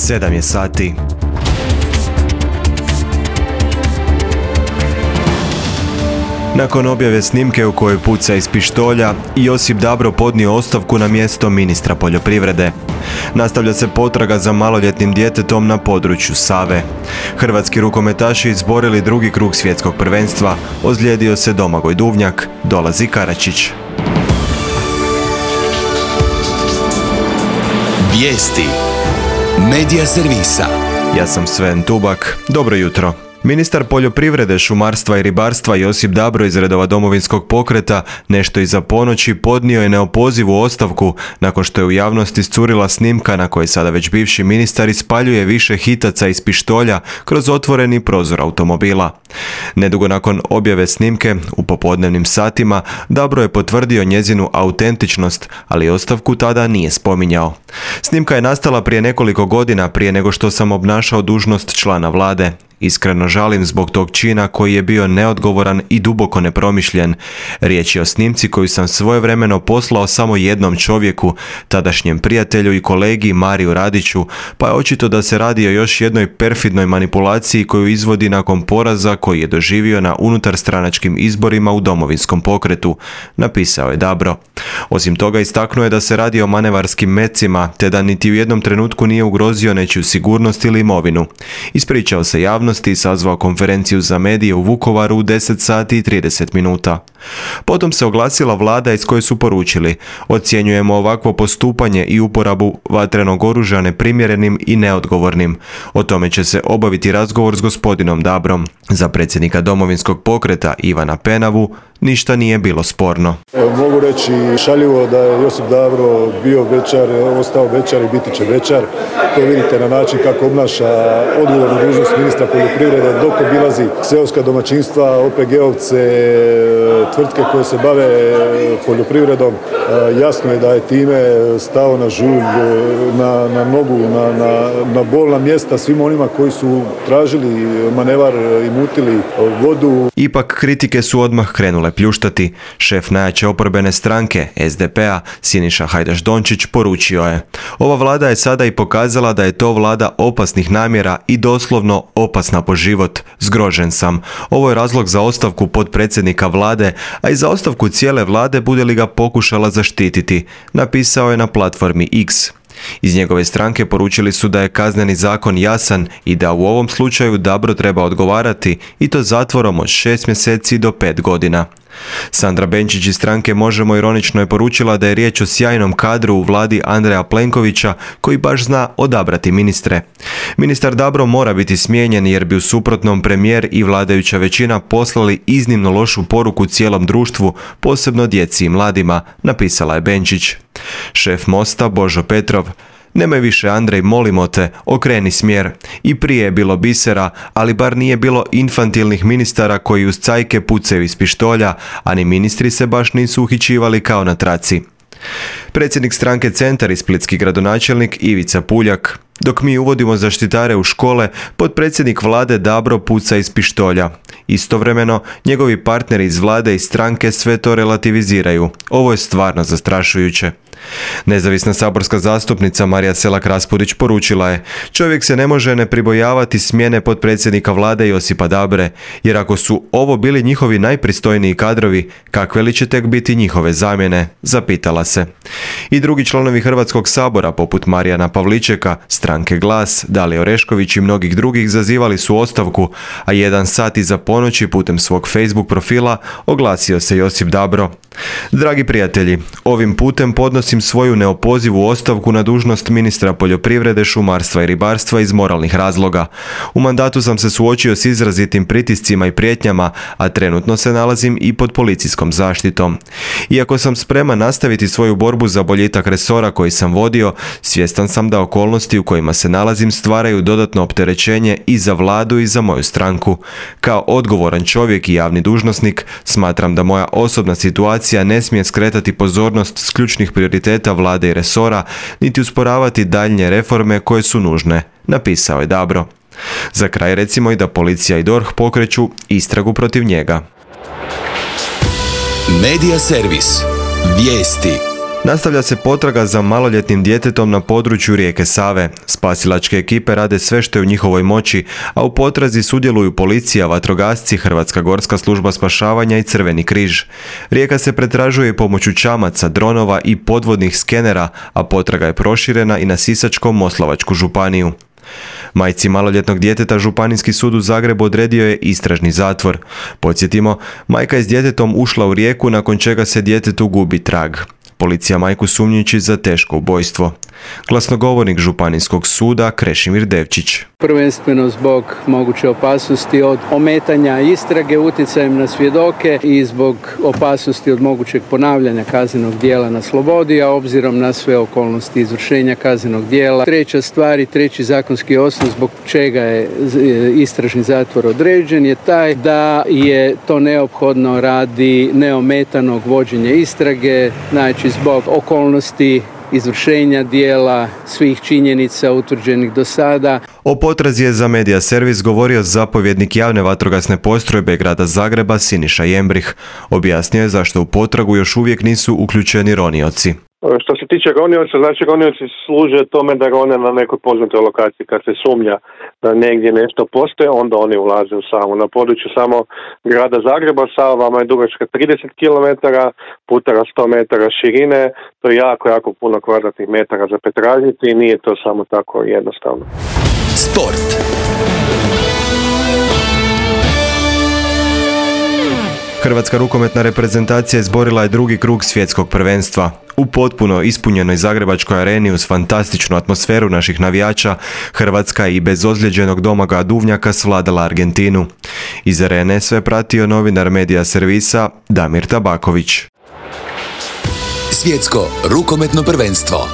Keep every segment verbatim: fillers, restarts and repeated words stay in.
sedam je sati. Nakon objave snimke u kojoj puca iz pištolja, Josip Dabro podnio ostavku na mjesto ministra poljoprivrede. Nastavlja se potraga za maloljetnim djetetom na području Save. Hrvatski rukometaši izborili drugi krug svjetskog prvenstva, ozlijedio se Domagoj Duvnjak, dolazi Karačić. Vijesti Medija servisa. Ja sam Sven Tubak, dobro jutro. Ministar poljoprivrede, šumarstva i ribarstva Josip Dabro iz redova Domovinskog pokreta nešto iza ponoći podnio je neopozivu ostavku nakon što je u javnosti iscurila snimka na kojoj sada već bivši ministar ispaljuje više hitaca iz pištolja kroz otvoreni prozor automobila. Nedugo nakon objave snimke, u popodnevnim satima, Dabro je potvrdio njezinu autentičnost, ali ostavku tada nije spominjao. Snimka je nastala prije nekoliko godina prije nego što sam obnašao dužnost člana vlade. Iskreno žalim zbog tog čina koji je bio neodgovoran i duboko nepromišljen. Riječ je o snimci koju sam svojevremeno poslao samo jednom čovjeku, tadašnjem prijatelju i kolegi Mariju Radiću, pa je očito da se radi o još jednoj perfidnoj manipulaciji koju izvodi nakon poraza koji je doživio na unutarstranačkim izborima u Domovinskom pokretu, napisao je Dabro. Osim toga istaknuo je da se radi o manevarskim mecima, te da niti u jednom trenutku nije ugrozio nečiju sigurnost ili imovinu. Ispričao se javnosti i sazvao konferenciju za medije u Vukovaru u deset sati i trideset minuta. Potom se oglasila vlada iz koje su poručili: ocjenjujemo ovakvo postupanje i uporabu vatrenog oružja neprimjerenim i neodgovornim. O tome će se obaviti razgovor s gospodinom Dabrom. Za predsjednika Domovinskog pokreta Ivana Penavu ništa nije bilo sporno. Evo, mogu reći šaljivo da je Josip Dabro bio bećar, ostao bećar i biti će bećar. To vidite na način kako obnaša odgovornu dužnost ministra poljoprivrede dok obilazi seoska domaćinstva, O P G-ovce, tvrtke koje se bave poljoprivredom. Jasno je da je time stao na žulj, na, na nogu, na, na, na bolna mjesta svima onima koji su tražili manevar i mutili vodu. Ipak kritike su odmah krenule pljuštati. Šef najjače oporbene stranke, S D P-a, Siniša Hajdaš Dončić, poručio je: ova vlada je sada i pokazala da je to vlada opasnih namjera i doslovno opasna po život. Zgrožen sam. Ovo je razlog za ostavku potpredsjednika vlade, a i za ostavku cijele vlade bude li ga pokušala zaštititi, napisao je na platformi X. Iz njegove stranke poručili su da je kazneni zakon jasan i da u ovom slučaju Dabro treba odgovarati, i to zatvorom od šest mjeseci do pet godina. Sandra Benčić iz stranke Možemo ironično je poručila da je riječ o sjajnom kadru u vladi Andreja Plenkovića koji baš zna odabrati ministre. Ministar Dabro mora biti smijenjen jer bi u suprotnom premijer i vladajuća većina poslali iznimno lošu poruku cijelom društvu, posebno djeci i mladima, napisala je Benčić. Šef Mosta Božo Petrov: nemoj više Andrej, molimo te, okreni smjer. I prije je bilo bisera, ali bar nije bilo infantilnih ministara koji uz cajke pucaju iz pištolja, a ni ministri se baš nisu uhićivali kao na traci. Predsjednik stranke Centar i splitski gradonačelnik Ivica Puljak: dok mi uvodimo zaštitare u škole, potpredsjednik vlade Dabro puca iz pištolja. Istovremeno, njegovi partneri iz vlade i stranke sve to relativiziraju. Ovo je stvarno zastrašujuće. Nezavisna saborska zastupnica Marija Selak Raspudić poručila je: čovjek se ne može ne pribojavati smjene potpredsjednika vlade Josipa Dabre, jer ako su ovo bili njihovi najpristojniji kadrovi, kakve li će tek biti njihove zamjene, zapitala se. I drugi članovi Hrvatskog sabora, poput Marijana Pavličeka, stranke Glas, Dalije Orešković i mnogih drugih, zazivali su ostavku, a jedan sat iza ponoći putem svog Facebook profila oglasio se Josip Dabro: dragi prijatelji, ovim putem podnosim svoju neopozivu ostavku na dužnost ministra poljoprivrede, šumarstva i ribarstva iz moralnih razloga. U mandatu sam se suočio s izrazitim pritiscima i prijetnjama, a trenutno se nalazim i pod policijskom zaštitom. Iako sam spreman nastaviti svoju borbu za boljitak resora koji sam vodio, svjestan sam da okolnosti u kojima se nalazim stvaraju dodatno opterećenje i za vladu i za moju stranku. Kao odgovoran čovjek i javni dužnosnik, smatram da moja osobna situacija ne smije skretati pozornost s ključnih prioriteta vlade i resora, niti usporavati daljnje reforme koje su nužne, napisao je Dabro. Za kraj recimo i da policija i D O R H pokreću istragu protiv njega. Medija servis. Vijesti. Nastavlja se potraga za maloljetnim djetetom na području rijeke Save. Spasilačke ekipe rade sve što je u njihovoj moći, a u potrazi sudjeluju policija, vatrogasci, Hrvatska gorska služba spašavanja i Crveni križ. Rijeka se pretražuje pomoću čamaca, dronova i podvodnih skenera, a potraga je proširena i na Sisačko-moslavačku županiju. Majci maloljetnog djeteta Županijski sud u Zagrebu odredio je istražni zatvor. Podsjetimo, majka je s djetetom ušla u rijeku nakon čega se djetetu gubi trag. Policija majku sumnjiči za teško ubojstvo. Glasnogovornik Županijskog suda Krešimir Devčić. Prvenstveno zbog moguće opasnosti od ometanja istrage utjecajem na svjedoke i zbog opasnosti od mogućeg ponavljanja kaznenog djela na slobodi, a obzirom na sve okolnosti izvršenja kaznenog djela. Treća stvar i treći zakonski osnov zbog čega je istražni zatvor određen je taj da je to neophodno radi neometanog vođenja istrage, znači zbog okolnosti izvršenja dijela, svih činjenica utvrđenih do sada. O potrazi je za Media Servis govorio zapovjednik javne vatrogasne postrojbe grada Zagreba Siniša Jembrih. Objasnio je zašto u potragu još uvijek nisu uključeni ronioci. Što se tiče ronioca, znači ronioci služe tome da rone na nekoj poznatoj lokaciji. Kad se sumnja da negdje nešto postoje, onda oni ulaze u Savu. Na području samo grada Zagreba Sava vama je dugačka trideset kilometara, putara sto metara širine. To je jako, jako puno kvadratnih metara za pretražiti i nije to samo tako jednostavno. Sport. Hrvatska rukometna reprezentacija izborila je drugi krug svjetskog prvenstva. U potpuno ispunjenoj zagrebačkoj areni uz fantastičnu atmosferu naših navijača, Hrvatska i bez ozlijeđenog Domagoja Duvnjaka svladala Argentinu. Iz arene sve pratio novinar Media Servisa Damir Tabaković. Svjetsko rukometno prvenstvo.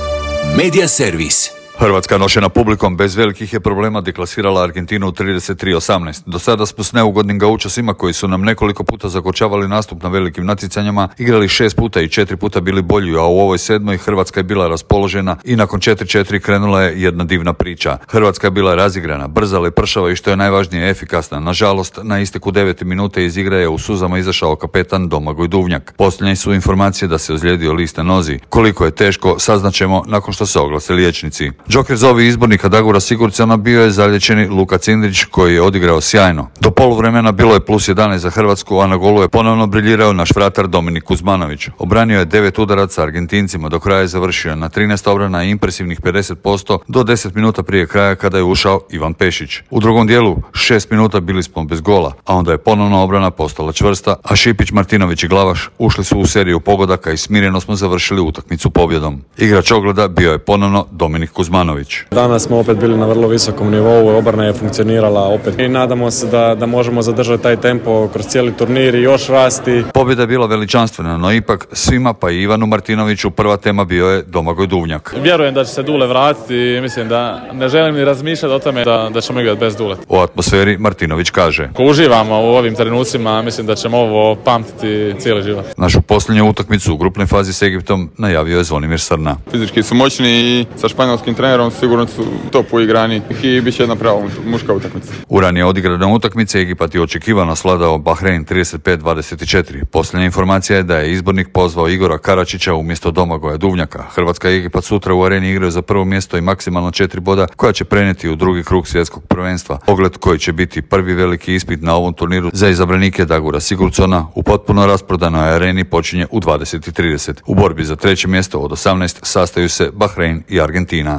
Media Servis. Hrvatska nošena publikom bez velikih je problema deklasirala Argentinu u trideset tri osamnaest. Do sada smo s neugodnim gaučasima koji su nam nekoliko puta zakočavali nastup na velikim natjecanjima, igrali šest puta i četiri puta bili bolji, a u ovoj sedmoj Hrvatska je bila raspoložena i nakon četiri četiri krenula je jedna divna priča. Hrvatska je bila razigrana, brza, lepršava i što je najvažnije efikasna. Nažalost, na isteku devete minute iz igre je u suzama izašao kapetan Domagoj Duvnjak. Posljednje su informacije da se ozlijedio list na nozi. Koliko je teško, saznaćemo nakon što se oglase liječnici. Džoker za ovi izbornika Dagura Sigurdsona bio je zalječeni Luka Cindrić koji je odigrao sjajno. Do poluvremena bilo je plus jedanaest za Hrvatsku, a na golu je ponovno briljirao naš vratar Dominik Kuzmanović. Obranio je devet udaraca Argentincima, do kraja je završio na trinaest obrana i impresivnih pedeset posto do deset minuta prije kraja kada je ušao Ivan Pešić. U drugom dijelu šest minuta bili smo bez gola, a onda je ponovno obrana postala čvrsta, a Šipić, Martinović i Glavaš ušli su u seriju pogodaka i smireno smo završili utakmicu pobjedom. Igrač ogleda bio je ponovno Dominik Kuzmanović. Danas smo opet bili na vrlo visokom nivou, obrana je funkcionirala opet i nadamo se da, da možemo zadržati taj tempo kroz cijeli turnir i još rasti. Pobjeda je bila veličanstvena, no ipak svima pa i Ivanu Martinoviću prva tema bio je Domagoj Duvnjak. Vjerujem da će se Dule vratiti i mislim da ne želim ni razmišljati o tome da, da ćemo igrati bez Dule. U atmosferi Martinović kaže: Ko uživamo u ovim trenucima, mislim da ćemo ovo pamtiti cijeli život. Našu posljednju utakmicu u grupnoj fazi s Egiptom najavio je Zvonimir Srna. Fizički su moćni i sa španjolskim trenerom sigurno su top uigrani i bit će jedna prava muška utakmica. U ranije odigrane utakmice Egipat je očekivano sladao Bahrein trideset pet dvadeset četiri. Posljednja informacija je da je izbornik pozvao Igora Karačića umjesto Domagoja Duvnjaka. Hrvatska i Egipat sutra u areni igraju za prvo mjesto i maksimalno četiri boda koja će prenijeti u drugi krug svjetskog prvenstva. Pogled koji će biti prvi veliki ispit na ovom turniru za izabranike Dagura Sigurdsona u potpuno rasprodanoj areni počinje u dvadeset trideset. U borbi za treće mjesto od osamnaest sastaju se Bahrein i Argentina.